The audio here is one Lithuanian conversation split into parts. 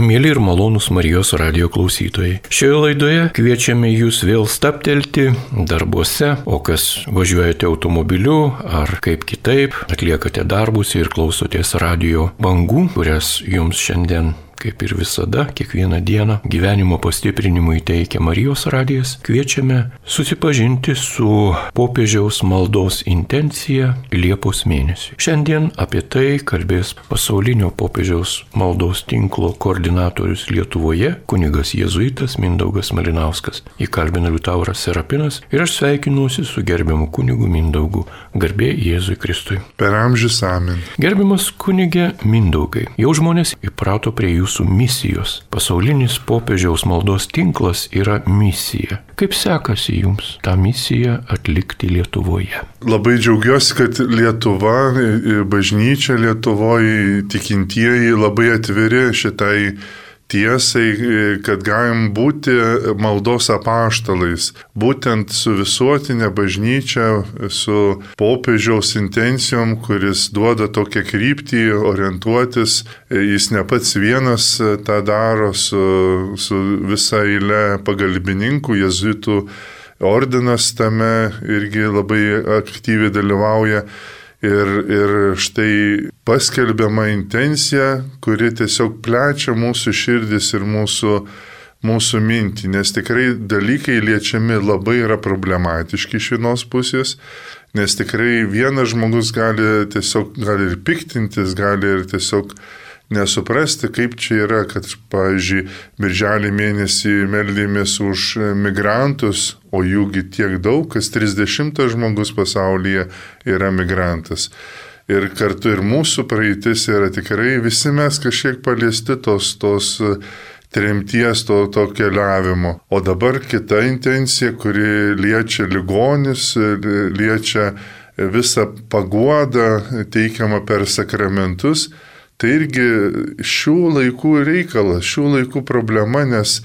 Mėly ir malonūs Marijos radijo klausytojai. Šioje laidoje kviečiame jūs vėl stabtelti darbuose, o kas važiuojate automobiliu ar kaip kitaip, atliekate darbus ir klausotės radijo bangų, kurias jums šiandien, kaip ir visada, kiekvieną dieną gyvenimo pastiprinimui teikia Marijos radijas, kviečiame susipažinti su popiežiaus maldos intencija Liepos mėnesiui. Šiandien apie tai kalbės pasaulinio popiežiaus maldos tinklo koordinatorius Lietuvoje, kunigas jėzuitas Mindaugas Malinauskas. Jį kalbina Liutauras Serapinas ir aš sveikinuosi su gerbiamu kunigu Mindaugu. Garbė Jėzui Kristui. Per amžius amen. Gerbiamas kunige Mindaugai, jau žmonės įprato prie jūsų misijos. Pasaulinis popiežiaus maldos tinklas yra misija. Kaip sekasi jums tą misiją atlikti Lietuvoje? Labai džiaugiuosi, kad Lietuva, bažnyčia Lietuvoje, tikintieji labai atviri šitai tiesai, kad galim būti maldos apaštalais. Būtent su visuotinė bažnyčia, su popiežiaus intencijom, kuris duoda tokią kryptį orientuotis. Jis ne pats vienas tą daro su visa eile pagalbininkų, jėzuitų ordinas tame irgi labai aktyviai dalyvauja. Ir štai paskelbiama intencija, kuri tiesiog plečia mūsų širdis ir mūsų mintį, nes tikrai dalykai liečiami labai yra problematiški iš vienos pusės, nes tikrai vienas žmogus gali ir piktintis, gali ir tiesiog nesuprasti, kaip čia yra, kad, pavyzdžiui, birželį mėnesį meldėmės už migrantus, o jųgi tiek daug, kas 30 žmogus pasaulyje yra migrantas. Ir kartu ir mūsų praeitis yra tikrai, visi mes kažkiek paliesti tos tremties, to keliavimo. O dabar kita intencija, kuri liečia ligonius, liečia visą paguodą teikiamą per sakramentus. Tai irgi šių laikų reikalas, šių laikų problema, nes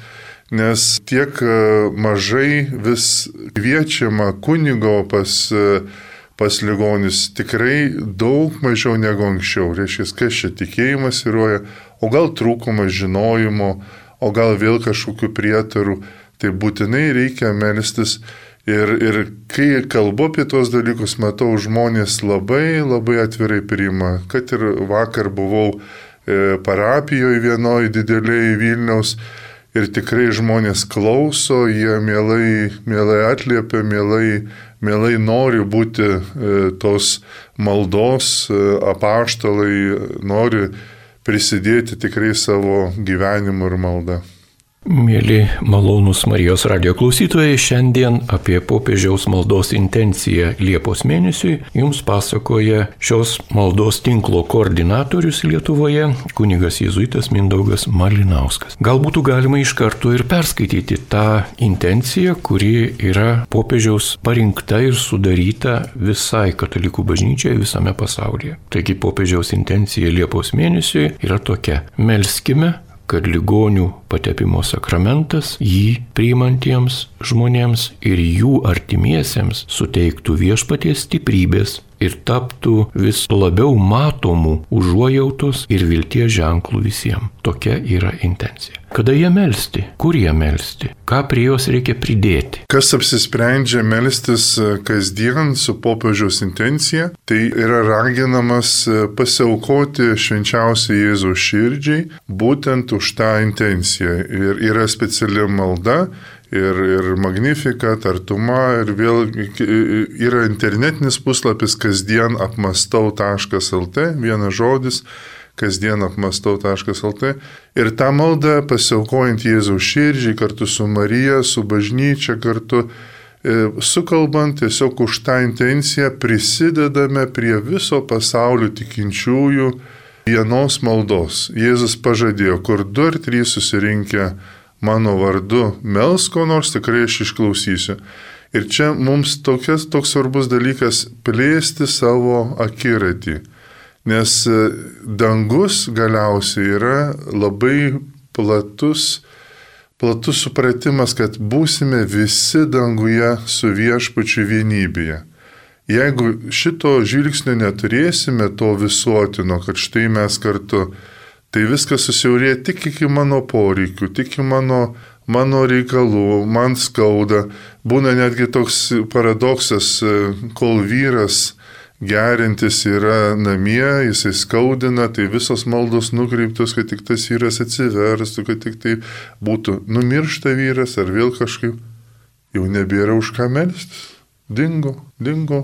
tiek mažai vis kviečiama kunigo pas ligonius, tikrai daug mažiau negu anksčiau. Reiškia, kas čia tikėjimas įroja, o gal trūkumas žinojimo, o gal vėl kažkokių prietarų. Tai būtinai reikia melstis. Ir kai kalbu apie tos dalykus, matau, žmonės labai atvirai priima. Kad ir vakar buvau parapijoje vienoje didelėje Vilniaus ir tikrai žmonės klauso, jie mielai atliepia, mielai nori būti tos maldos apaštalai, nori prisidėti tikrai savo gyvenimu ir malda. Mėly malonūs Marijos radijo klausytojai, šiandien apie popiežiaus maldos intenciją Liepos mėnesiui jums pasakoja šios maldos tinklo koordinatorius Lietuvoje, kunigas jėzuitas Mindaugas Malinauskas. Gal būtų galima iš karto ir perskaityti tą intenciją, kuri yra popiežiaus parinkta ir sudaryta visai katalikų bažnyčiai visame pasaulyje. Taigi popiežiaus intencija Liepos mėnesiui yra tokia: melskime, kad ligonių patepimo sakramentas jį priimantiems žmonėms ir jų artimiesiems suteiktų viešpaties stiprybės ir taptų vis labiau matomų užuojautos ir vilties ženklų visiems. Tokia yra intencija. Kada jie melsti? Kur jie melsti? Ką prie jos reikia pridėti? Kas apsisprendžia melstis kasdien su popiežiaus intencija, tai yra raginamas pasiaukoti švenčiausiai Jėzaus širdžiai būtent už tą intenciją. Ir yra speciali malda, ir Magnificat, Artuma, ir vėl yra internetinis puslapis kasdienapmastau.lt, vienas žodis, kasdienapmastau.lt. Ir tą maldą pasiaukojant Jėzaus širdžiai kartu su Marija, su bažnyčia, kartu sukalbant tiesiog už tą intenciją prisidedame prie viso pasaulio tikinčiųjų vienos maldos. Jėzus pažadėjo, kur 2 ar 3 susirinkę mano vardu melsk ko nors, tikrai aš išklausysiu. Ir čia mums toks svarbus dalykas plėsti savo akiratį. Nes dangus galiausiai yra labai platus supratimas, kad būsime visi danguje su viešpačiu vienybėje. Jeigu šito žvilgsnio neturėsime, to visuotino, kad štai mes kartu, tai viskas susiaurėja tik iki mano poreikių, tik iki mano reikalų, man skauda. Būna netgi toks paradoksas, kol vyras gerintis yra namie, jisai skaudina, tai visos maldos nukreiptos, kad tik tas vyras atsiverstų, kad tik tai būtų numiršta vyras ar vėl kažkaip, jau nebėra už ką melstis. Dingo,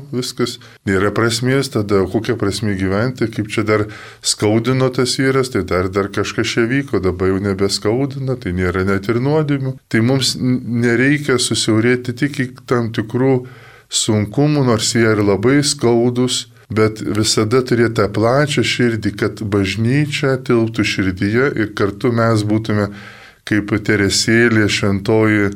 viskas. Nėra prasmės, tada kokia prasmė gyventi, kaip čia dar skaudino tas vyras, tai dar kažkas čia vyko, dabar jau nebeskaudina, tai nėra net ir nuodėmių. Tai mums nereikia susiaurėti tik į tam tikrų sunkumų, nors jie ir labai skaudus, bet visada turėti tą plačią širdį, kad bažnyčia tilptų širdyje ir kartu mes būtume kaip Teresėlė šventoji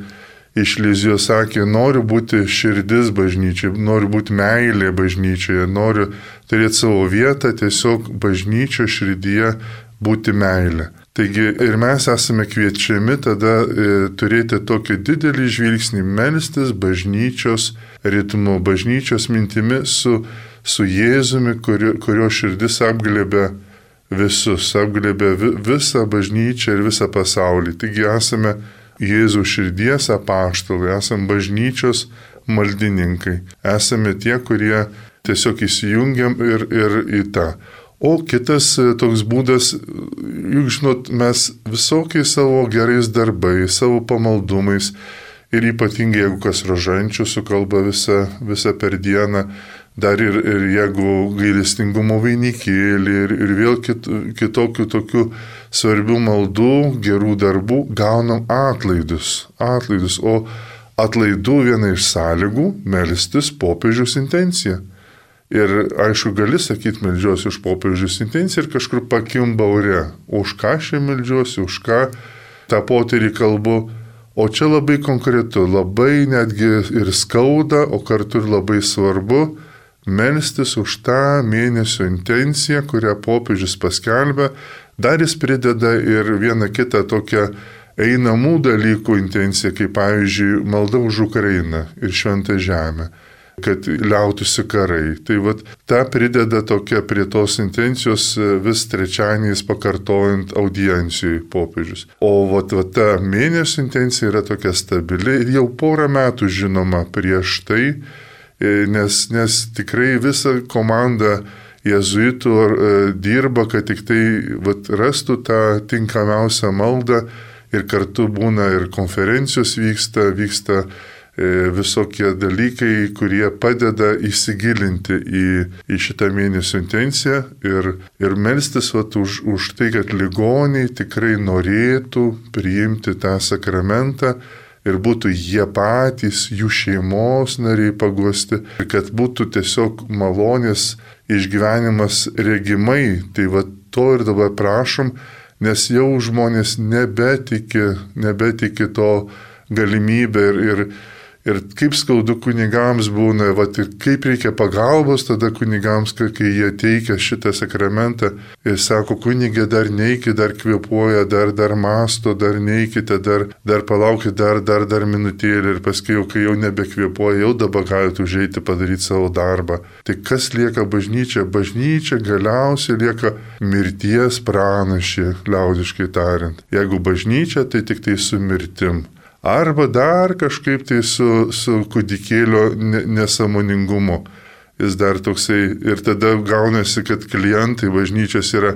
iš Lizijos sakė, noriu būti širdis bažnyčiai, noriu būti meilė bažnyčioje, noriu turėti savo vietą, tiesiog bažnyčio širdyje būti meilė. Taigi ir mes esame kviečiami tada turėti tokį didelį žvilgsnį, melstis bažnyčios ritmu, bažnyčios mintimi su Jėzumi, kurio širdis apglėbia visus, apglėbia visą bažnyčią ir visą pasaulį. Taigi esame Jėzaus širdies apaštalai, esame bažnyčios maldininkai, esame tie, kurie tiesiog įsijungiam ir į tą. O kitas toks būdas, juk žinot, mes visokiais savo gerais darbais, savo pamaldumais ir ypatingai jeigu kas rožančių sukalba visą per dieną, dar ir jeigu gailestingumo vainikėlį ir vėl kitokių tokių svarbių maldų, gerų darbų, gaunam atlaidus. O atlaidų viena iš sąlygų melstis popiežiaus intenciją. Ir aišku, gali sakyti, meldžiuosi už popiežiaus intenciją ir kažkur pakimba ore. Už ką aš meldžiuosi, už ką tą potyrį kalbu. O čia labai konkretu, labai netgi ir skauda, o kartu ir labai svarbu melstis už tą mėnesio intenciją, kurią popiežius paskelbė. Dar jis prideda ir vieną kitą tokią einamų dalykų intenciją, kaip pavyzdžiui malda už Ukrainą ir šventą žemę, kad liautųsi karai. Tai tą prideda tokia prie tos intencijos vis trečianiais pakartojant audiencijai popiežius. O ta mėnesio intencija yra tokia stabili ir jau porą metų žinoma prieš tai, nes tikrai visa komanda jėzuitų dirba, kad tik tai rastų tą tinkamiausią maldą ir kartu būna ir konferencijos vyksta visokie dalykai, kurie padeda įsigilinti į šitą mėnesio intenciją ir melstis už tai, kad ligoniai tikrai norėtų priimti tą sakramentą ir būtų jie patys, jų šeimos nariai paguosti, ir kad būtų tiesiog malonės išgyvenimas regimai. Tai to ir dabar prašom, nes jau žmonės nebetiki to galimybę ir kaip skaudu kunigams būna, ir kaip reikia pagalbos tada kunigams, kai jie teikia šitą sakramentą ir sako, kunigė dar neiki, dar kvėpuoja, dar masto, dar neikite, dar palaukite, dar minutėlį ir paskui, kai jau nebekvėpuoja, jau dabar galite užeiti padaryti savo darbą. Tai kas lieka bažnyčia? Bažnyčia galiausiai lieka mirties pranašė, liaudiškai tariant. Jeigu bažnyčia, tai tik tai su mirtim. Arba dar kažkaip tai su kūdikėlio nesąmoningumu. Jis dar toksai ir tada gaunasi, kad klientai bažnyčios yra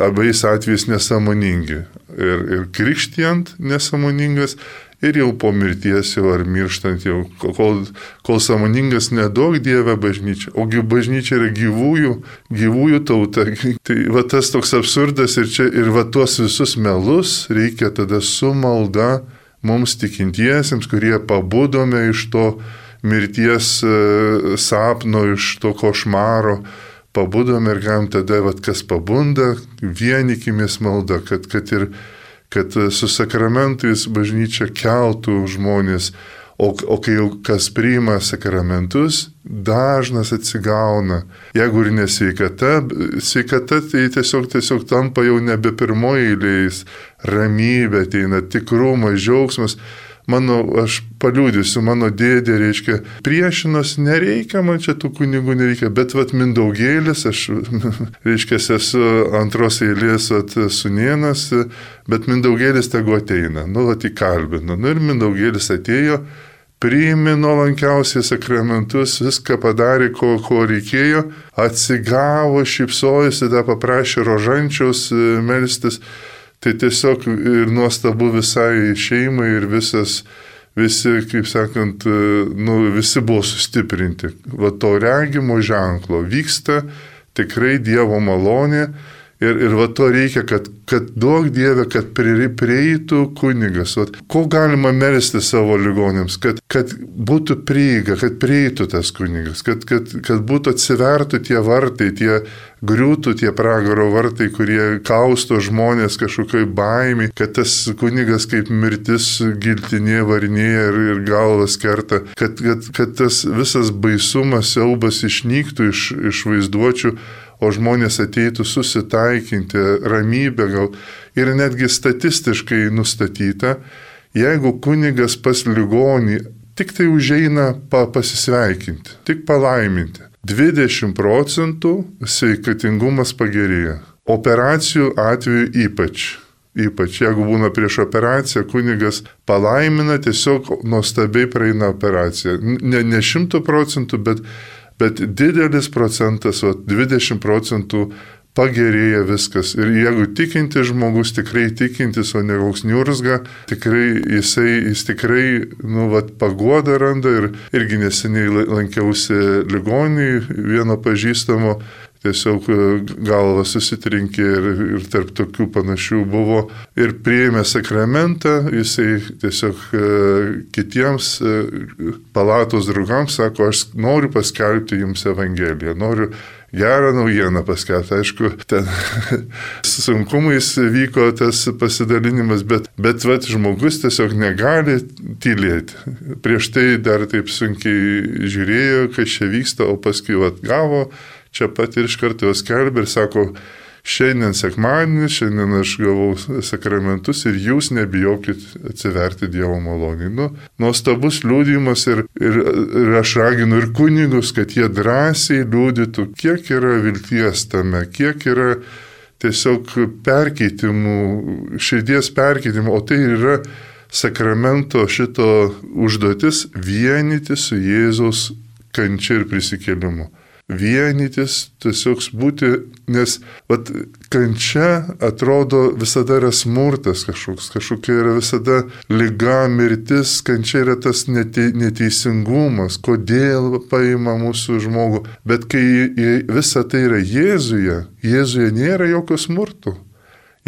abais atvejais nesąmoningi. Ir krikštijant nesąmoningas ir jau po mirties jau ar mirštant jau, kol sąmoningas nedaug Dieve bažnyčia. Ogi bažnyčia yra gyvųjų tauta. Tai tas toks absurdas ir tuos visus melus reikia tada su malda mums tikintiesiems, kurie pabudome iš to mirties sapno, iš to košmaro, pabudome ir galim tada, kas pabunda, vienykimės malda, kad su sakramentais bažnyčia keltų žmonės, o kai jau kas priima sakramentus, dažnas atsigauna. Jeigu ir sveikata tai tiesiog tampa jau nebe pirmoji eilės, ramybė ateina, tikrumas, džiaugsmas. aš paliūdysiu, mano dėdė, reiškia, priešinos, nereikia, man čia tų kunigų nereikia, bet Mindaugėlis, aš, reiškia, esu antros eilės sūnėnas, bet Mindaugėlis tegu ateina, įkalbino. Ir Mindaugėlis atėjo, priėmė nuolankiausiai sakramentus, viską padarė, ko reikėjo, atsigavo, šypsojosi, paprašė rožančiaus melstis. Tai tiesiog ir nuostabu visai šeimai ir visi, kaip sakant, visi buvo sustiprinti. To regimo ženklo vyksta tikrai Dievo malonė. Ir to reikia, kad duok Dieve, kad prieitų kunigas. Ko galima melsti savo ligonėms, kad būtų prieiga, kad prieitų tas kunigas, kad būtų atsivertų tie vartai, griūtų tie pragaro vartai, kurie kausto žmonės kažkokioj baimė, kad tas kunigas kaip mirtis giltinė varinėja ir galvas kerta, kad tas visas baisumas, siaubas išnyktų iš vaizduočių, o žmonės ateitų susitaikinti, ramybę gal. Ir netgi statistiškai nustatyta, jeigu kunigas pas ligonį tik tai užeina pasisveikinti, tik palaiminti, 20% sveikatingumas pagerėja. Operacijų atveju ypač, jeigu būna prieš operaciją, kunigas palaimina, tiesiog nuostabiai praeina operaciją. Ne 100%, bet didelis procentas, 20% pagerėja viskas. Ir jeigu tikintis žmogus, tikrai tikintis, o ne koks niurzga, jis tikrai, paguodą randa. Ir irgi neseniai lankiausi ligoninėje vieno pažįstamo, tiesiog galva susitrinkė ir tarp tokių panašių buvo. Ir priėmė sakramentą, jisai tiesiog kitiems palatos draugams sako, aš noriu paskelbti jums Evangeliją, noriu gerą naujieną paskelbti. Aišku, ten sunkumais vyko tas pasidalinimas, bet žmogus tiesiog negali tylėti. Prieš tai dar taip sunkiai žiūrėjo, kas čia vyksta, o paskui gavo čia pat ir iš karto jos skelbė ir sako, šiandien sekmadienis, šiandien aš gavau sakramentus ir jūs nebijokit atsiverti Dievo malonei. Nuostabus liudijimas ir aš raginu ir kunigus, kad jie drąsiai liudytų, kiek yra vilties tame, kiek yra tiesiog perkeitimų, širdies perkeitimų, o tai yra sakramento šito užduotis vienyti su Jėzaus kančia ir prisikėlimu. Vienytis, tiesiog būti, nes kančia atrodo visada yra smurtas kažkokia yra visada liga, mirtis, kančia yra tas neteisingumas, kodėl paima mūsų žmogų. Bet kai visa tai yra Jėzuje nėra jokio smurto,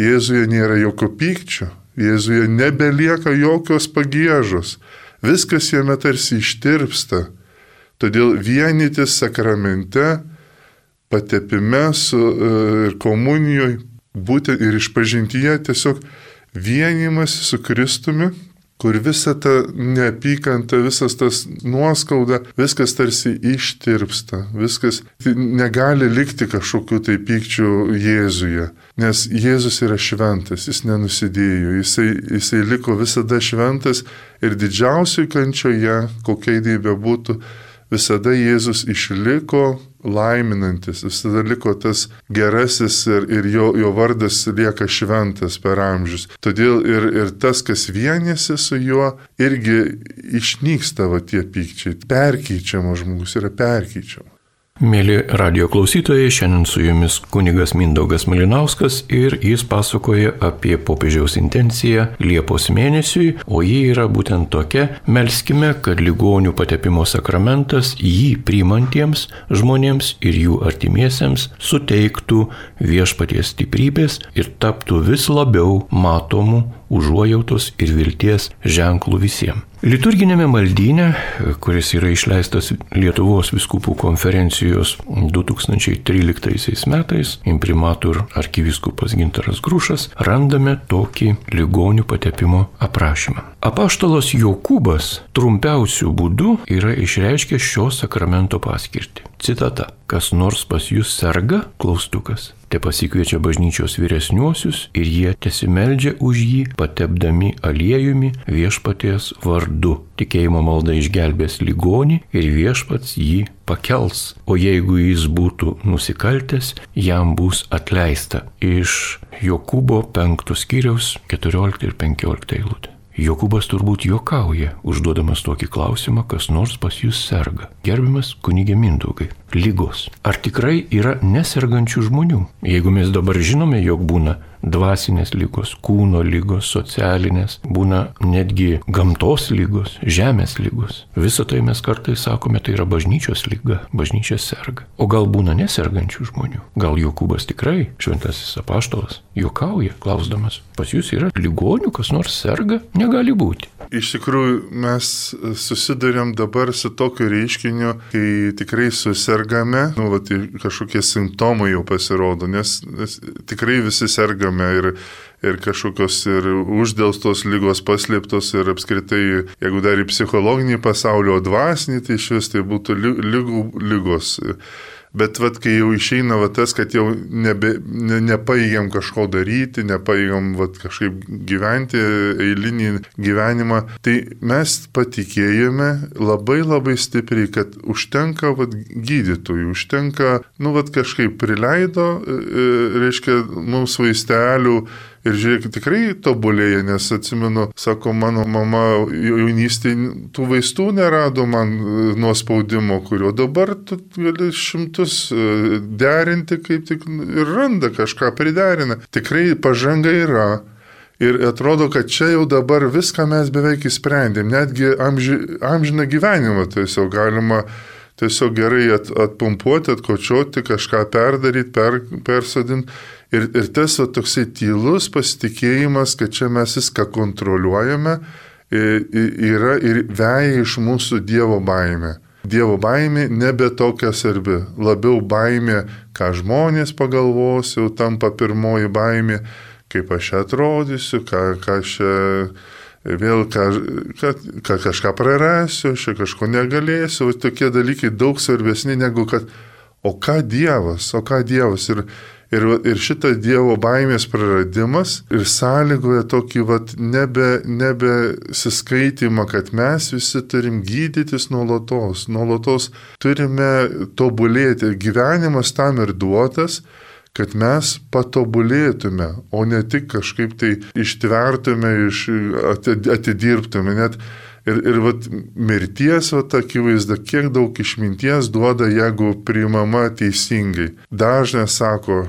Jėzuje nėra jokio pykčio, Jėzuje nebelieka jokios pagiežos, viskas jame tarsi ištirpsta. Todėl vienytis sakramente, patepime ir komunijoje, būtent ir išpažintyje tiesiog vienimas su Kristumi, kur visa ta neapykanta, visas tas nuoskauda, viskas tarsi ištirpsta, viskas negali likti kažkokiu tai pykčiu Jėzuje, nes Jėzus yra šventas, jis nenusidėjo, jisai liko visada šventas ir didžiausiai kančioje, kokia idėja būtų, visada Jėzus išliko laiminantis, visada liko tas gerasis ir jo vardas lieka šventas per amžius. Todėl ir tas, kas vienėsi su juo, irgi išnyksta tie pykčiai. Perkeičiamas žmogus yra perkeičiamas. Mėly radio klausytojai, šiandien su jumis kunigas Mindaugas Malinauskas ir jis pasakoja apie popiežiaus intenciją Liepos mėnesiui, o ji yra būtent tokia: melskime, kad ligonių patepimo sakramentas jį priimantiems žmonėms ir jų artimiesiems suteiktų viešpaties stiprybės ir taptų vis labiau matomų užuojautos ir vilties ženklų visiems. Liturginėme maldyne, kuris yra išleistas Lietuvos vyskupų konferencijos 2013 metais, imprimatur arkivyskupas Gintaras Grušas, randame tokį ligonių patepimo aprašymą. Apaštalas Jokūbas trumpiausių būdų yra išreiškęs šio sakramento paskirtį. Citata: kas nors pas jūs serga, klaustukas, te pasikviečia bažnyčios vyresniuosius ir jie tesimeldžia už jį, patepdami aliejumi viešpaties vardu. Tikėjimo malda išgelbės ligonį ir viešpats jį pakels, o jeigu jis būtų nusikaltęs, jam bus atleista. Iš Jokūbo 5 skyriaus 14 ir 15 eilutė. Jokūbas turbūt juokauja, užduodamas tokį klausimą, kas nors pas jūs serga. Gerbiamas kunige Mindaugai, lygos. Ar tikrai yra nesergančių žmonių? Jeigu mes dabar žinome, jog būna dvasinės lygos, kūno lygos, socialinės, būna netgi gamtos lygos, žemės lygos. Visą tai mes kartais sakome, tai yra bažnyčios lyga, bažnyčia serga. O gal būna nesergančių žmonių? Gal Jokūbas tikrai, šventasis apaštalas, juokauja, klausdamas, pas jūs yra ligonių, kas nors serga? Negali būti. Iš tikrųjų, mes susidurėm dabar su tokiu reiškiniu, kai tikrai susergame, kažkokie simptomai jau pasirodo, nes tikrai visi sergame ir kažkokios ir uždelstos lygos paslėptos ir apskritai, jeigu dar į psichologinį pasaulio dvasinį, tai iš vis tai būtų lygos. Bet kai jau išeina tas, kad jau nepaėgiam kažko daryti, nepaėgiam kažkaip gyventi eilinį gyvenimą, tai mes patikėjome labai labai stipriai, kad užtenka gydytojų, užtenka, kažkaip prileido, reiškia, mums vaistelių. Ir žiūrėk, tikrai tobulėja, nes atsimenu, sako, mano mama jaunystėje tų vaistų nerado man nuo spaudimo, kurio dabar tu gali šimtus derinti, kaip tik ir randa kažką priderina. Tikrai pažanga yra. Ir atrodo, kad čia jau dabar viską mes beveik įsprendėm, netgi amžiną gyvenimą tiesiog galima tiesiog gerai atpumpuoti, atkočioti, kažką perdaryti, persodinti. Ir tas toksai tylus pasitikėjimas, kad čia mes viską kontroliuojame, yra ir veja iš mūsų Dievo baimė. Dievo baimė nebe tokia svarbi, labiau baimė, ką žmonės pagalvos, jau tampa pirmoji baimė, kaip aš atrodysiu, ką vėl kažką prarasiu, aš kažko negalėsiu, tokie dalykai daug svarbesni negu kad, o ką Dievas. Ir šitas Dievo baimės praradimas ir sąlygoja tokį nebesiskaitimą, kad mes visi turim gydytis nuolatos turime tobulėti. Gyvenimas tam ir duotas, kad mes patobulėtume, o ne tik kažkaip tai ištvertume, atidirbtume. Ir mirties akivaizda, kiek daug išminties duoda, jeigu priimama teisingai. Dažnai sako,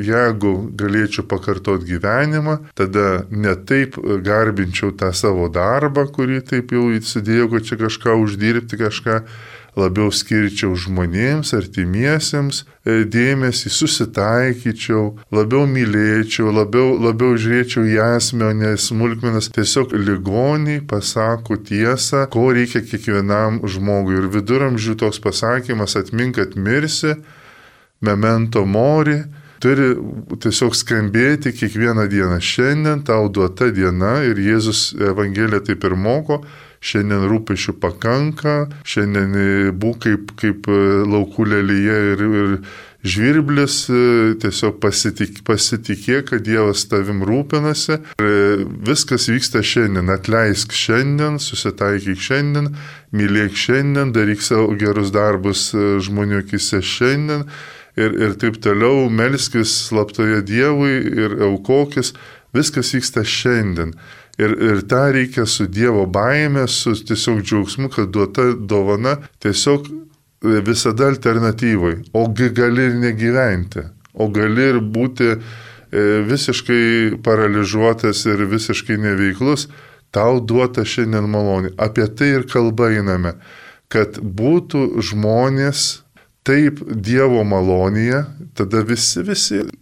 jeigu galėčiau pakartoti gyvenimą, tada ne taip garbinčiau tą savo darbą, kurį taip jau įsidėjau, kad čia kažką uždirbti, kažką labiau skirčiau žmonėms, artimiesiems dėmesį, susitaikyčiau, labiau mylėčiau, labiau žiūrėčiau į esmę, o ne smulkmenas. Tiesiog ligoniai pasako tiesą, ko reikia kiekvienam žmogui. Ir viduramžių toks pasakymas, atmink, kad mirsi, memento mori, turi tiesiog skambėti kiekvieną dieną. Šiandien tau duota diena ir Jėzus Evangelija taip ir moko. Šiandien rūpesčių pakanka, šiandien būk kaip laukų lelyje ir žvirblis, tiesiog pasitikėk, kad Dievas tavim rūpinasi. Ir viskas vyksta šiandien, atleisk šiandien, susitaikyk šiandien, mylėk šiandien, daryk savo gerus darbus žmonių akise šiandien ir taip toliau, melskis slaptoje Dievui ir aukokis, viskas vyksta šiandien. Ir tą reikia su Dievo baime, su tiesiog džiaugsmu, kad duota dovana tiesiog visada alternatyvai. Ogi gali ir negyventi, o gali ir būti visiškai paralyžiuotas ir visiškai neveiklus, tau duota šiandien malonė. Apie tai ir kalba einame, kad būtų žmonės taip Dievo malonėje, tada visi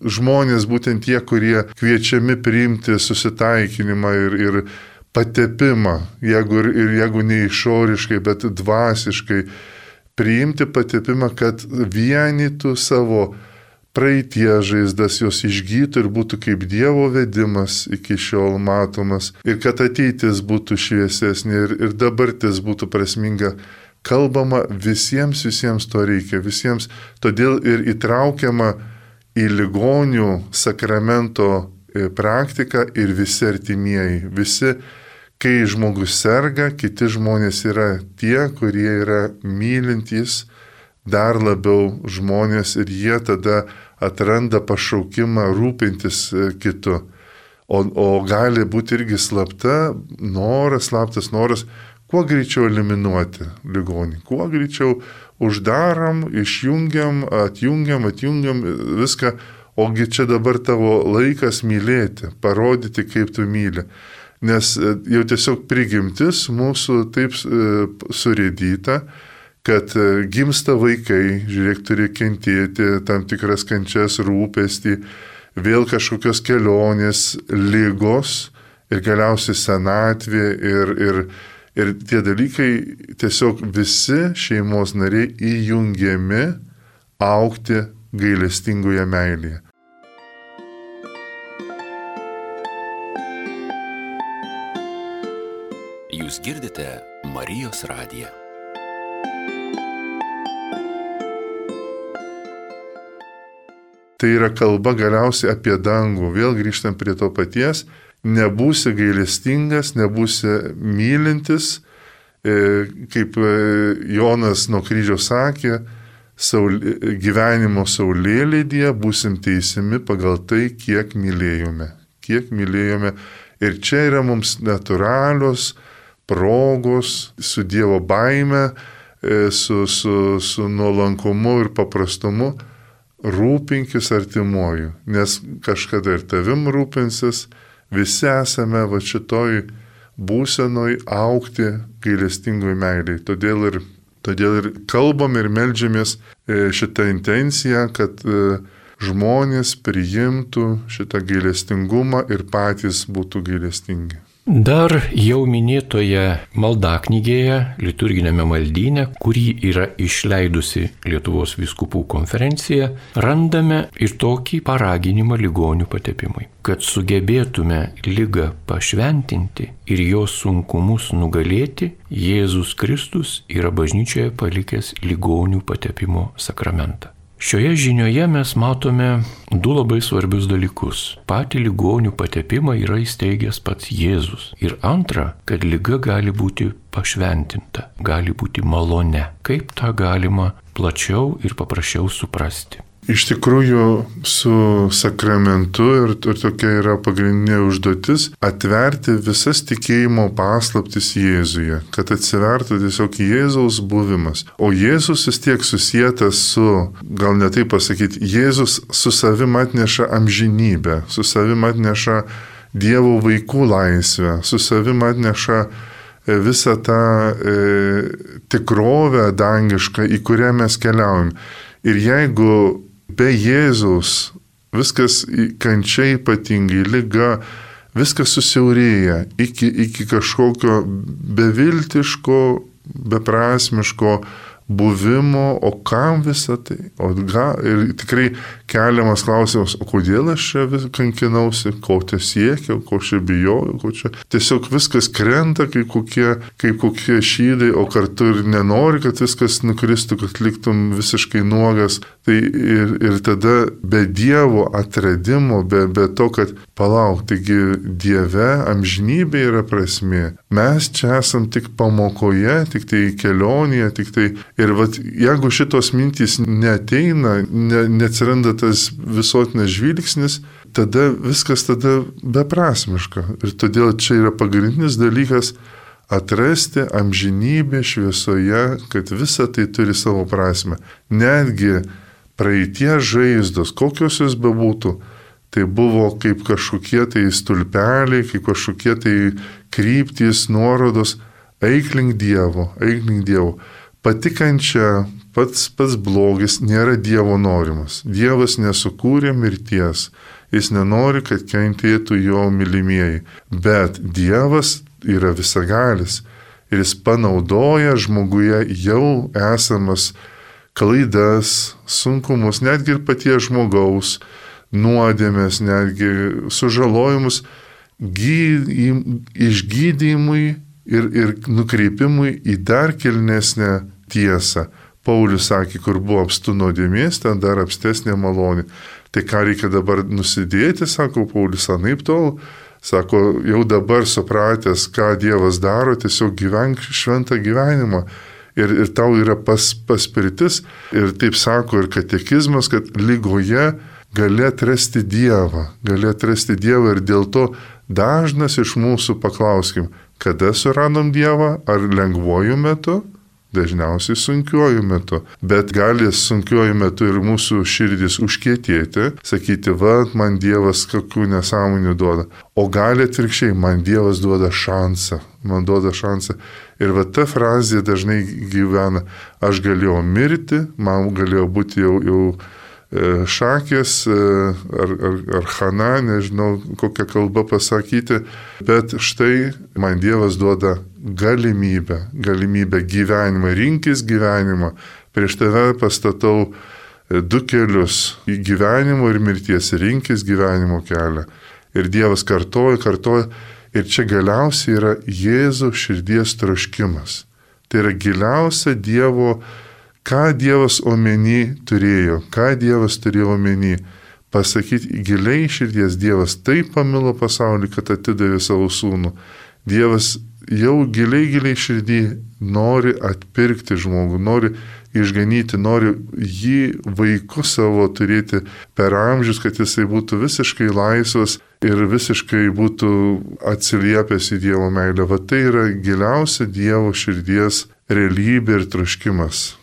žmonės, būtent tie, kurie kviečiami priimti susitaikinimą ir patepimą, jeigu ne išoriškai, bet dvasiškai, priimti patepimą, kad vienytų savo praeities žaizdas, jos išgytų ir būtų kaip Dievo vedimas iki šiol matomas, ir kad ateitis būtų šviesesnė ir dabartis būtų prasminga. Kalbama visiems to reikia, visiems, todėl ir įtraukiama į ligonių sakramento praktiką ir visi artimieji. Visi, kai žmogus serga, kiti žmonės yra tie, kurie yra mylintys dar labiau žmonės ir jie tada atranda pašaukimą rūpintis kitu. O gali būti irgi slaptas noras, kuo greičiau eliminuoti ligonį, kuo greičiau uždarom, išjungiam, atjungiam viską, ogi čia dabar tavo laikas mylėti, parodyti, kaip tu myli. Nes jau tiesiog prigimtis mūsų taip surėdyta, kad gimsta vaikai, žiūrėk, turi kentėti tam tikras kančias, rūpestį, vėl kažkokios kelionės, ligos ir galiausiai senatvė ir tie dalykai tiesiog visi šeimos nariai įjungiami augti gailestingoje meilėje. Jūs girdite Marijos radiją. Tai yra kalba galiausiai apie dangų. Vėl grįžtam prie to paties. Nebūsi gailestingas, nebūsi mylintis, kaip Jonas nuo kryžiaus sakė, gyvenimo saulėlydyje būsim teisimi pagal tai, kiek mylėjome. Ir čia yra mums natūralios progos su Dievo baime, su nuolankumu ir paprastumu. Rūpinkis artimuoju, nes kažkada ir tavim rūpinsis, visi esame šitoj būsenoj augti gailestingoj meiliai. Todėl ir kalbam ir meldžiamės šitą intenciją, kad žmonės priimtų šitą gailestingumą ir patys būtų gailestingi. Dar jau minėtoje maldaknygėje, liturginėme maldyne, kurį yra išleidusi Lietuvos vyskupų konferencija, randame ir tokį paraginimą ligonių patepimui. Kad sugebėtume ligą pašventinti ir jos sunkumus nugalėti, Jėzus Kristus yra bažnyčioje palikęs ligonių patepimo sakramentą. Šioje žinioje mes matome du labai svarbius dalykus. Patį ligonių patepimą yra įsteigęs pats Jėzus. Ir antra, kad liga gali būti pašventinta, gali būti malone. Kaip tą galima plačiau ir paprasčiau suprasti? Iš tikrųjų, su sakramentu ir tokia yra pagrindinė užduotis - atverti visas tikėjimo paslaptis Jėzuje, kad atsivertų tiesiog Jėzaus buvimas. O Jėzus vis tiek susietas su, gal ne taip pasakyti, Jėzus su savim atneša amžinybę, su savim atneša Dievo vaikų laisvę, su savim atneša visą tą tikrovę dangišką, į kurią mes keliaujam. Ir jeigu be Jėzaus viskas kančia ypatingai, liga, viskas susiaurėja iki kažkokio beviltiško, beprasmiško buvimo, o kam visą tai? Ir tikrai keliamas klausimas, o kodėl aš čia vis kankinausi, ko čia siekiau, ko čia bijojau, ko čia. Tiesiog viskas krenta kaip kokie šydai, o kartu ir nenori, kad viskas nukristų, kad liktum visiškai nuogas. Tai ir tada be Dievo atradimo, be to, kad palauk, taigi Dieve amžinybė yra prasmė. Mes čia esam tik pamokoje, tik tai kelionėje, tik tai. Ir jeigu šitos mintys neateina, neatsiranda tas visuotinas žvilgsnis, tada viskas beprasmiška. Ir todėl čia yra pagrindinis dalykas atrasti amžinybę šviesoje, kad visa tai turi savo prasme. Netgi praeities žaizdos, kokios jos bebūtų, tai buvo kaip kažkokie tai stulpeliai, kaip kažkokie tai kryptys, nuorodos, eik link Dievo. Pati kančia, pats blogis nėra Dievo norimas. Dievas nesukūrė mirties. Jis nenori, kad kentėtų jo mylimieji. Bet Dievas yra visagalis. Ir jis panaudoja žmoguje jau esamas klaidas, sunkumus, netgi ir paties žmogaus, nuodėmės, netgi sužalojimus, išgydymui ir nukreipimui į dar kilnesnę tiesą. Paulius sakė, kur buvo apstu nuodėmės, ten dar apstesnė malonė. Tai ką reikia dabar nusidėti, sako Paulius, anaip tol. Sako, jau dabar supratęs, ką Dievas daro, tiesiog gyvenk šventą gyvenimą. Ir tau yra paspirtis. Ir taip sako ir katekizmas, kad ligoje gali atrasti Dievą. Ir dėl to dažnas iš mūsų paklauskim, kada suradom Dievą, ar lengvuoju metu? Dažniausiai sunkiuoju metu, bet gali sunkiuoju metu ir mūsų širdis užkietėti, sakyti, man Dievas kokių nesąmonių duoda. O gali atvirkščiai, man Dievas duoda šansą. Ir ta frazė dažnai gyvena, aš galėjau mirti, man galėjo būti jau šakės ar chana, nežinau kokią kalbą pasakyti, bet štai man Dievas duoda galimybę gyvenimą, rinkis gyvenimą. Prieš tave pastatau 2 kelius į gyvenimo ir mirties, rinkis gyvenimo kelią. Ir Dievas kartoja, ir čia galiausiai yra Jėzaus širdies troškimas. Tai yra giliausia Dievo, ką Dievas omeny turėjo, ką Dievas turėjo omeny. Pasakyti giliai širdies, Dievas taip pamilo pasaulį, kad atidavė savo sūnų. Dievas jau giliai širdį nori atpirkti žmogų, nori išganyti, nori jį vaiku savo turėti per amžius, kad jisai būtų visiškai laisvas ir visiškai būtų atsiliepęs į Dievo meilę. Tai yra giliausia Dievo širdies realybė ir troškimas.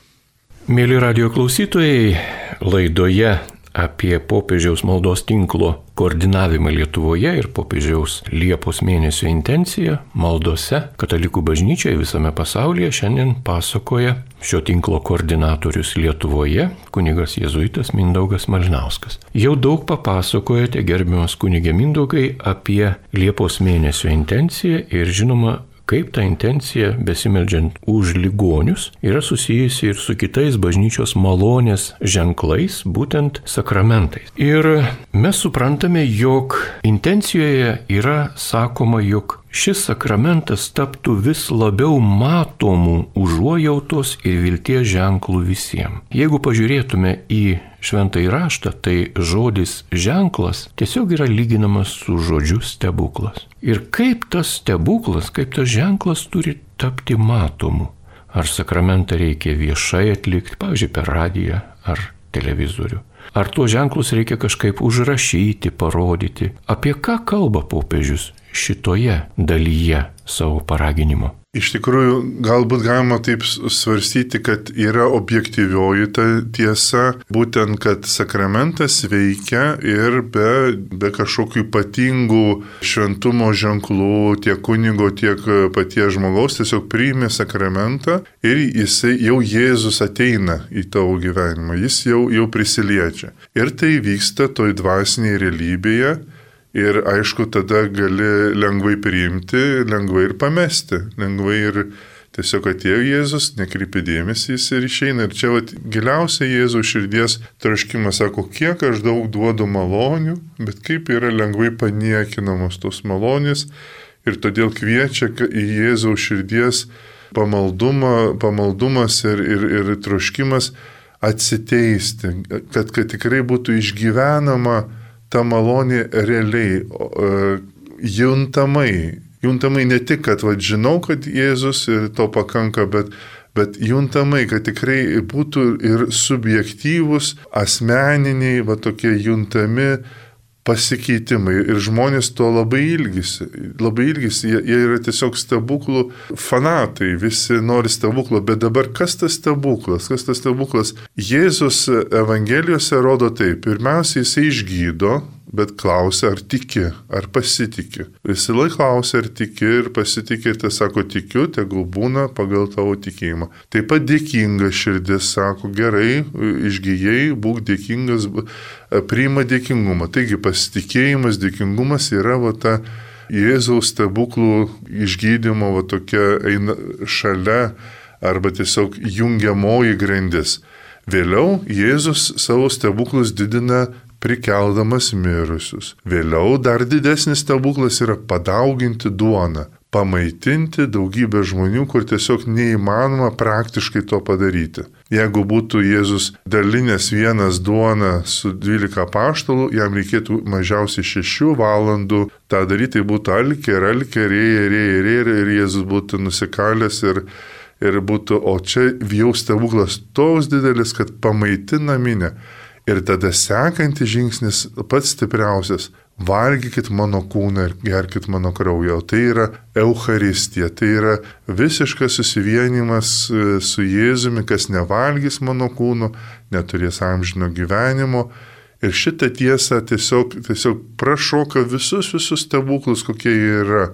Mėly radijo klausytojai, laidoje apie popiežiaus maldos tinklo koordinavimą Lietuvoje ir popiežiaus Liepos mėnesio intenciją maldose katalikų bažnyčioje visame pasaulyje šiandien pasakoja šio tinklo koordinatorius Lietuvoje, kunigas jėzuitas Mindaugas Malinauskas. Jau daug papasakojote, gerbiamas kunige Mindaugai, apie Liepos mėnesio intenciją ir žinoma, kaip ta intencija, besimeldžiant už ligonius, yra susijusi ir su kitais bažnyčios malonės ženklais, būtent sakramentais. Ir mes suprantame, jog intencijoje yra sakoma, jog šis sakramentas taptų vis labiau matomų užuojautos ir vilties ženklų visiems. Jeigu pažiūrėtume į Šventąjį raštą, tai žodis ženklas tiesiog yra lyginamas su žodžiu stebuklas. Ir kaip tas stebuklas, kaip tas ženklas turi tapti matomu? Ar sakramentą reikia viešai atlikti, pavyzdžiui, per radiją ar televizorių? Ar tuos ženklus reikia kažkaip užrašyti, parodyti? Apie ką kalba popiežius šitoje dalyje savo paraginimo? Iš tikrųjų, galbūt galima taip svarstyti, kad yra objektyvioji ta tiesa, būtent, kad sakramentas veikia ir be kažkokių ypatingų šventumo ženklų tiek kunigo, tiek paties žmogaus, tiesiog priimi sakramentą ir jau Jėzus ateina į tavo gyvenimą, jis jau prisiliečia. Ir tai vyksta toj dvasinėje realybėje. Ir aišku, tada gali lengvai priimti, lengvai ir pamesti. Lengvai ir tiesiog atėjo Jėzus, nekreipi dėmesį, jis ir išeina. Ir čia giliausia Jėzaus širdies troškimas, sako, kiek aš daug duodu malonių, bet kaip yra lengvai paniekinamos tos malonės. Ir todėl kviečia į Jėzaus širdies pamaldumas ir troškimas atsiteisti, kad tikrai būtų išgyvenama ta malonė realiai, juntamai ne tik, kad žinau, kad Jėzus ir to pakanka, bet juntamai, kad tikrai būtų ir subjektyvus, asmeniniai, tokie juntami pasikeitimai. Ir žmonės to labai ilgisi. Jie yra tiesiog stebuklų fanatai, visi nori stebuklo, bet dabar kas tas stebuklas? Jėzus Evangelijose rodo taip. Pirmiausia, jisai išgydo, bet klausia, ar tiki, ar pasitiki. Visi laik klausia, ar tiki ir pasitiki, ir tai sako, tikiu, tegul būna pagal tavo tikėjimą. Taip pat dėkinga širdis sako, gerai, išgyjai, būk dėkingas, priima dėkingumą. Taigi pasitikėjimas, dėkingumas yra ta Jėzaus stebuklų išgydymo tokia eina šalia arba tiesiog jungiamoji grandis. Vėliau Jėzus savo stebuklus didina prikeldamas mirusius. Vėliau dar didesnis stebuklas yra padauginti duoną. pamaitinti daugybę žmonių, kur tiesiog neįmanoma praktiškai to padaryti. Jeigu būtų Jėzus dalinęs vienas duoną su 12 apaštalų, jam reikėtų mažiausiai 6 valandų tą daryti, tai būtų alkė, rėja, ir Jėzus būtų nusikalęs ir būtų, o čia jau stebuklas toks didelis, kad pamaitina minę. Ir tada sekantis žingsnis pats stipriausias. Valgykit mano kūną ir gerkit mano kraują. Tai yra Eucharistija, tai yra visiškas susivienimas su Jėzumi, kas nevalgys mano kūno, neturės amžino gyvenimo. Ir šitą tiesą tiesiog prašoka visus stebuklus, kokie jie yra.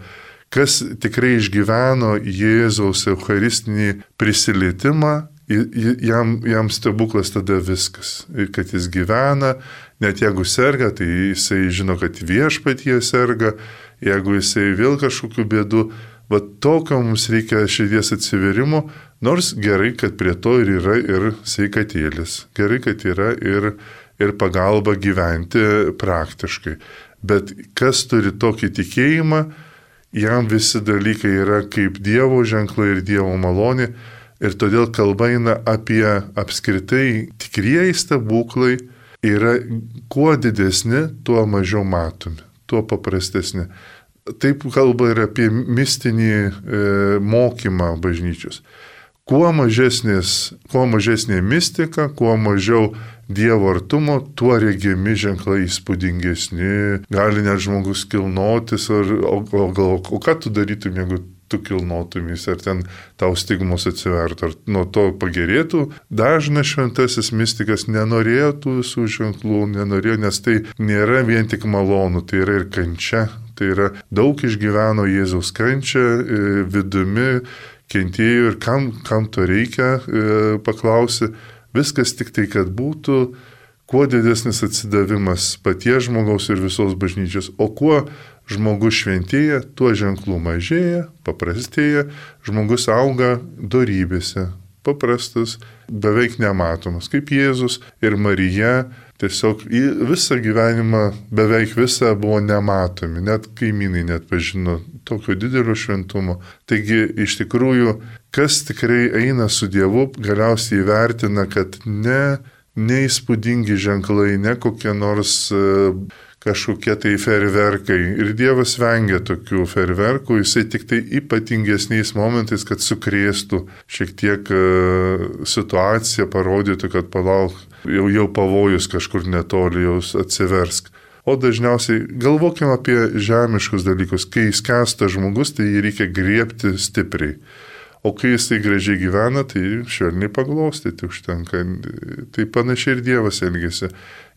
Kas tikrai išgyveno Jėzaus eucharistinį prisilietimą, jam stebuklas tada viskas. Kad jis gyvena, net jeigu serga, tai jisai žino, kad viešpatie serga, jeigu jisai vėl kažkokių bėdų, va tokio mums reikia širdies atsiverimo, nors gerai, kad prie to ir yra ir sveikatėlis, gerai, kad yra ir pagalba gyventi praktiškai. Bet kas turi tokį tikėjimą, jam visi dalykai yra kaip Dievo ženklai ir Dievo malonė. Ir todėl kalba eina apie apskritai tikrieji stebuklai yra kuo didesni, tuo mažiau matomi, tuo paprastesni. Taip kalba ir apie mistinį mokymą bažnyčios. Kuo mažesnė mistika, kuo mažiau Dievo artumo, tuo regimi ženklai įspūdingesni. Gali net žmogus kilnotis, o ką tu darytum, jeigu tu kilnotumys, ar ten tau stigmos atsivertų, ar nuo to pagerėtų. Dažnas šventasis mistikas nenorėjo tų visų ženklų, nes tai nėra vien tik malonu, tai yra ir kančia. Tai yra daug išgyveno Jėzaus kančią vidumi, kentėjo ir kam to reikia, paklausi. Viskas tik tai, kad būtų kuo didesnis atsidavimas paties žmogaus ir visos bažnyčios, o kuo žmogus šventėja, tuo ženklų mažėja, paprastėja, žmogus auga dorybėse, paprastas, beveik nematomas, kaip Jėzus ir Marija, tiesiog visą gyvenimą, beveik visą buvo nematomi, net kaimynai net pažino tokio didelio šventumo. Taigi, iš tikrųjų, kas tikrai eina su Dievu, galiausiai įvertina, kad neįspūdingi ženklai, ne kokie nors kažkokie tai ferverkai. Ir Dievas vengia tokių ferverkų, jisai tik tai ypatingesniais momentais, kad sukrėstų šiek tiek situaciją, parodytų, kad palauk, jau pavojus kažkur netoli, jau atsiversk. O dažniausiai galvokime apie žemiškus dalykus. Kai skęsta žmogus, tai jį reikia griebti stipriai. O kai jisai gražiai gyvena, tai švelniai paglostyti užtenka. Tai panašiai ir Dievas elgiasi.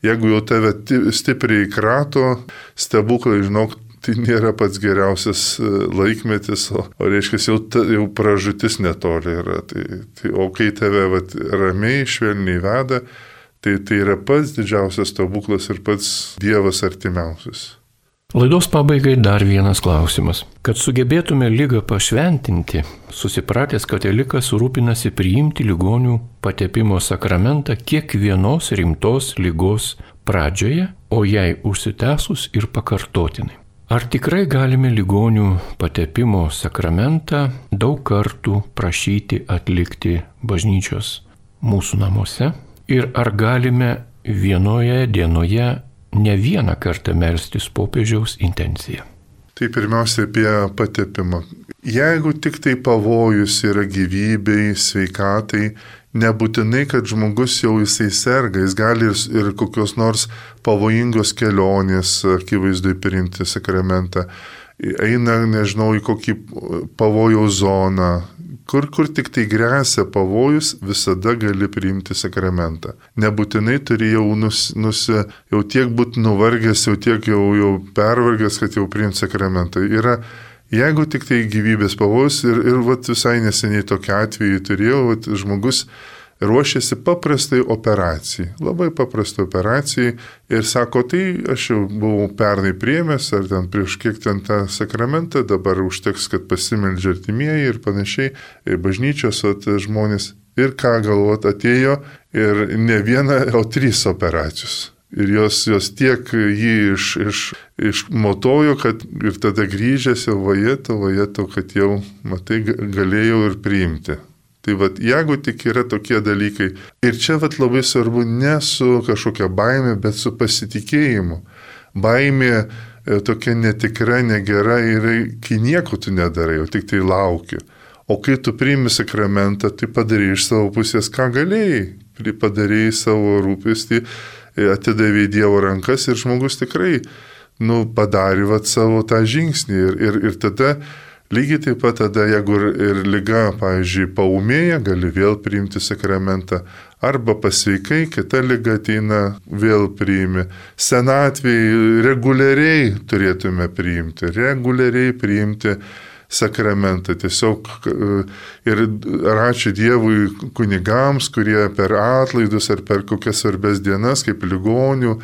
Jeigu jau tave stipriai krato, stebuklai, žinok, tai nėra pats geriausias laikmetis, o reiškia, jau pražutis netoli yra. O kai tave ramiai, švelniai veda, tai yra pats didžiausias stebuklas ir pats Dievas artimiausias. Laidos pabaigai dar vienas klausimas. Kad sugebėtume ligą pašventinti, susipratęs katalikas rūpinasi priimti ligonių patepimo sakramentą kiekvienos rimtos ligos pradžioje, o jai užsitęsus ir pakartotinai. Ar tikrai galime ligonių patepimo sakramentą daug kartų prašyti atlikti bažnyčios mūsų namuose? Ir ar galime vienoje dienoje ne vieną kartą melstis popiežiaus intenciją? Tai pirmiausia apie patepimą. Jeigu tik tai pavojus yra gyvybei, sveikatai, nebūtinai, kad žmogus jau jisai serga, jis gali ir kokios nors pavojingos kelionės akivaizdui priimti sakramentą. Eina, nežinau, į kokį pavojaus zoną. Kur tik tai grėsia pavojus, visada gali priimti sakramentą. Nebūtinai turi jau tiek būti nuvargęs, jau tiek jau pervargęs, kad jau priimti sakramentą. Jeigu tik tai gyvybės pavojus ir visai neseniai tokiu atveju turėjau, žmogus ruošėsi paprastai operacijai, labai paprastai operacijai ir sako, tai aš jau buvau pernai priėmęs, ar ten prieš kiek ten tą sakramentą, dabar užteks, kad pasimeldžia artimieji ir panašiai, bažnyčios žmonės. Ir ką galvot, atėjo ir ne viena, o 3 operacijos. Ir jos tiek jį išmotojo, kad ir tada grįžęs jau vajeto, kad jau, matai, galėjau ir priimti. Tai vat, jeigu tik yra tokie dalykai, ir čia vat labai svarbu ne su kažkokia baime, bet su pasitikėjimu. Baimė tokia netikra, negera yra, kai nieko tu nedarai, o tik tai lauki. O kai tu priimi sakramentą, tai padarai iš savo pusės, ką galėjai. Padarai savo rūpestį, atidavė į Dievo rankas ir žmogus tikrai padarė vat savo tą žingsnį. Ir tada, lygiai taip pat tada, jeigu ir liga, pavyzdžiui, paūmėja, gali vėl priimti sakramentą. Arba pasveikai, kita liga ateina, vėl priimi. Senatvėj reguliariai turėtume priimti, sakramentą. Tiesiog ir ačiū Dievui kunigams, kurie per atlaidus ar per kokias svarbes dienas, kaip ligonių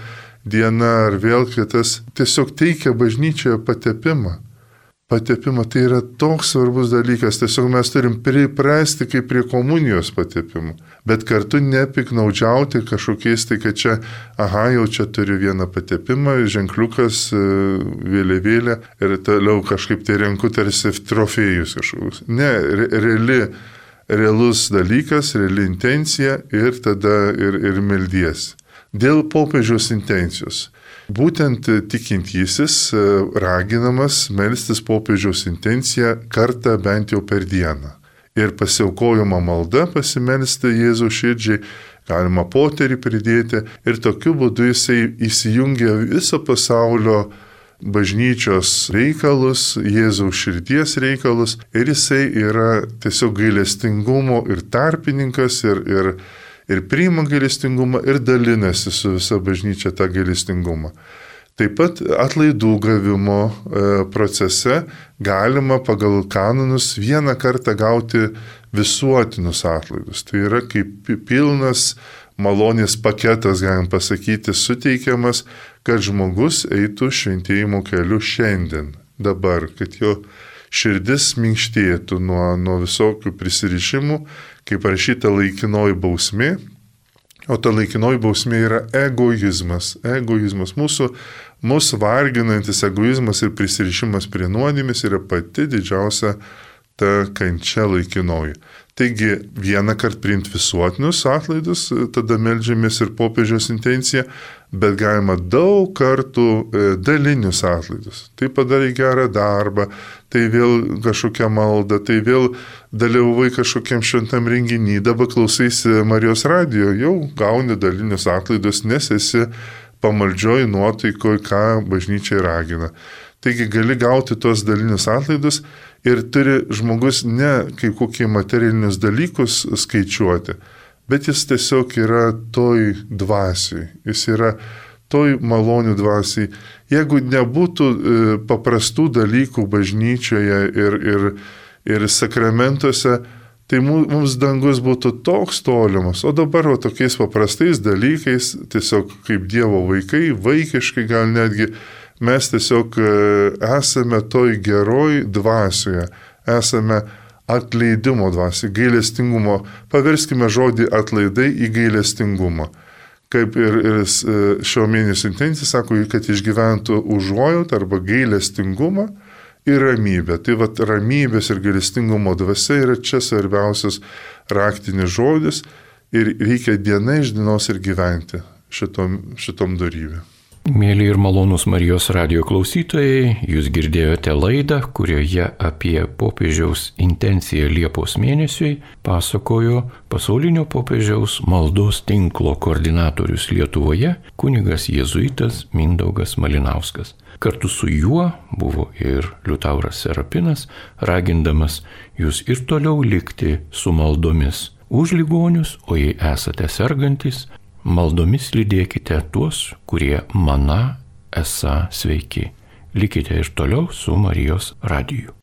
diena ar vėl kitas, tiesiog teikia bažnyčioje patepimą. Patepimą tai yra toks svarbus dalykas, tiesiog mes turim priprasti kaip prie komunijos patepimų, bet kartu nepiknaudžiauti kažkokiais, tai kad čia, jau čia turiu vieną patepimą, ženkliukas, vėliavėlė ir toliau kažkaip tai renku tarsi trofėjus kažkokius. Ne, realus dalykas, reali intencija ir tada ir meldies. Dėl popiežiaus intencijos. Būtent tikintysis raginamas melstis popiežiaus intenciją kartą bent jau per dieną. Ir pasiaukojama malda pasimelsti Jėzaus širdžiai, galima poterį pridėti ir tokiu būdu jisai įsijungia viso pasaulio bažnyčios reikalus, Jėzaus širdies reikalus ir jisai yra tiesiog gailestingumo ir tarpininkas ir priima gailestingumą ir dalinasi su visa bažnyčia tą gailestingumą. Taip pat atlaidų gavimo procese galima pagal kanonus vieną kartą gauti visuotinus atlaidus. Tai yra kaip pilnas malonės paketas, galim pasakyti, suteikiamas, kad žmogus eitų šventėjimo keliu šiandien, dabar, kad jo širdis minkštėtų nuo visokių prisirišimų, kaip parašyta laikinoji bausmė, o ta laikinoji bausmė yra egoizmas. Mūsų varginantis egoizmas ir prisirišimas prie nuodėmės yra pati didžiausia ta kančia laikinoji. Taigi vieną kartą priimti visuotinius atlaidus, tada meldžiamės ir popiežiaus intenciją, bet galima daug kartų dalinius atlaidus. Tai padarai gerą darbą, tai vėl kažkokia malda, tai vėl dalyvavai kažkokiam šventam renginį, dabar klausaisi Marijos radijo, jau gauni dalinius atlaidus, nes esi pamaldžioj nuotaikoj, ką bažnyčiai ragina. Taigi gali gauti tos dalinius atlaidus ir turi žmogus ne kaip kokie materialinius dalykus skaičiuoti, bet jis tiesiog yra toj dvasiai, jis yra toj malonių dvasiai. Jeigu nebūtų paprastų dalykų bažnyčioje ir sakramentuose, tai mums dangus būtų toks tolimas, o dabar tokiais paprastais dalykais, tiesiog kaip Dievo vaikai, vaikiškai gal netgi, mes tiesiog esame toj geroj dvasioje, esame atleidimo dvasioje, gailestingumo. Paverskime žodį atlaidai į gailestingumą. Kaip ir šio mėnesio intencija sako, kad išgyventų užuojautą arba gailestingumą ir ramybę. Tai ramybės ir gailestingumo dvasia yra čia svarbiausias raktinis žodis ir reikia diena iš dienos ir gyventi šitom darybėm. Mėly ir malonūs Marijos radijo klausytojai, jūs girdėjote laidą, kurioje apie popiežiaus intenciją Liepos mėnesiui pasakojo pasaulinio popiežiaus maldos tinklo koordinatorius Lietuvoje, kunigas jėzuitas Mindaugas Malinauskas. Kartu su juo buvo ir Liutauras Serapinas, ragindamas jūs ir toliau likti su maldomis už ligonius, o jei esate sergantis, maldomis lydėkite tuos, kurie mana esą sveiki. Likite ir toliau su Marijos radiju.